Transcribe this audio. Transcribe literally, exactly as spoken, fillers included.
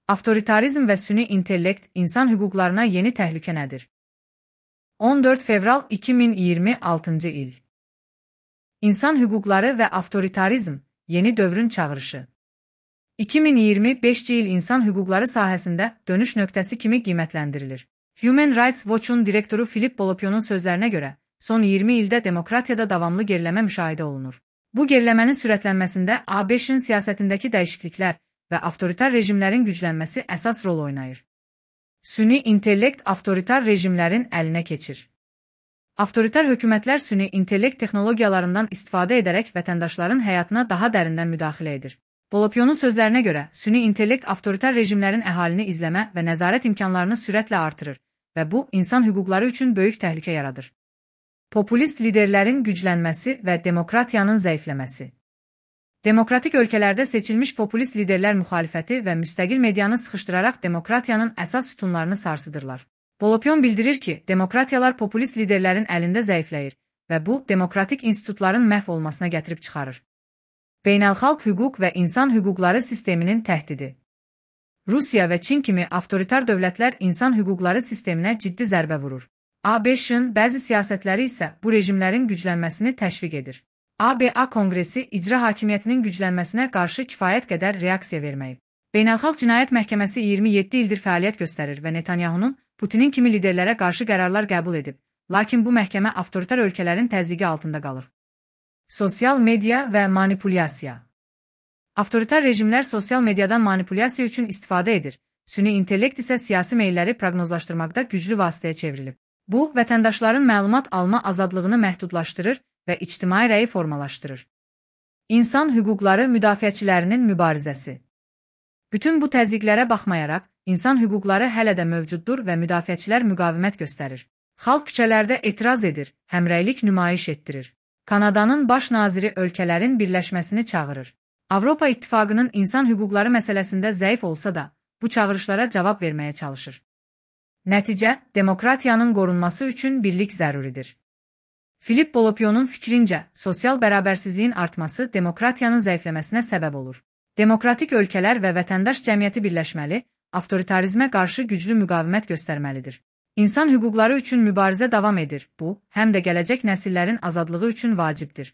Avtoritarizm və süni intellekt insan hüquqlarına yeni təhlükə nədir? on dörd fevral iki min iyirmi altıncı il. İnsan hüquqları və avtoritarizm yeni dövrün çağırışı. iki min iyirmi beşinci il insan hüquqları sahəsində dönüş nöqtəsi kimi qiymətləndirilir. Human Rights Watch-un direktoru Filip Bolopion'un sözlərinə görə, son iyirmi ildə demokratiyada davamlı geriləmə müşahidə olunur. Bu geriləmənin sürətlənməsində ABŞ-ın siyasətindəki dəyişikliklər və avtoritar rejimlərin güclənməsi əsas rol oynayır. Süni intellekt avtoritar rejimlərin əlinə keçir. Avtoritar hökumətlər süni intellekt texnologiyalarından istifadə edərək vətəndaşların həyatına daha dərindən müdaxilə edir. Bolopion'un sözlərinə görə, süni intellekt avtoritar rejimlərin əhalini izləmə və nəzarət imkanlarını sürətlə artırır və bu, insan hüquqları üçün böyük təhlükə yaradır. Populist liderlərin güclənməsi və demokratiyanın zəifləməsi. Demokratik ölkələrdə seçilmiş populist liderlər müxalifəti və müstəqil medianı sıxışdıraraq demokratiyanın əsas sütunlarını sarsıdırlar. Bolopion bildirir ki, demokratiyalar populist liderlərin əlində zəifləyir və bu, demokratik institutların məhv olmasına gətirib çıxarır. Beynəlxalq hüquq və insan hüquqları sisteminin təhdidi. Rusiya və Çin kimi avtoritar dövlətlər insan hüquqları sisteminə ciddi zərbə vurur. ABŞ-ın bəzi siyasətləri isə bu rejimlərin güclənməsini təşviq edir. A B A Konqresi icra hakimiyyətinin güclənməsinə qarşı kifayət qədər reaksiya verməyib. Beynəlxalq Cinayət Məhkəməsi iyirmi yeddi ildir fəaliyyət göstərir və Netanyahunun Putinin kimi liderlərə qarşı qərarlar qəbul edib, lakin bu məhkəmə avtoritar ölkələrin təzyiqi altında qalır. Sosial media və manipulyasiya. Avtoritar rejimlər sosial mediadan manipulyasiya üçün istifadə edir, süni intellekt isə siyasi meylləri proqnozlaşdırmaqda güclü vasitəyə çevrilib. Bu, vətəndaşların məlumat alma azadlığını məhdudlaşdırır və ictimai rəyi formalaşdırır. İnsan hüquqları müdafiəçilərinin mübarizəsi. Bütün bu təzyiqlərə baxmayaraq, insan hüquqları hələ də mövcuddur və müdafiəçilər müqavimət göstərir. Xalq küçələrdə etiraz edir, həmrəylik nümayiş etdirir. Kanadanın baş naziri ölkələrin birləşməsini çağırır. Avropa İttifaqının insan hüquqları məsələsində zəif olsa da, bu çağırışlara cavab verməyə çalışır. Nəticə, demokratiyanın qorunması üçün birlik zəruridir. Filip Bolopion'un fikrincə, sosial bərabərsizliyin artması demokratiyanın zəifləməsinə səbəb olur. Demokratik ölkələr və vətəndaş cəmiyyəti birləşməli, avtoritarizmə qarşı güclü müqavimət göstərməlidir. İnsan hüquqları üçün mübarizə davam edir. Bu, həm də gələcək nəsillərin azadlığı üçün vacibdir.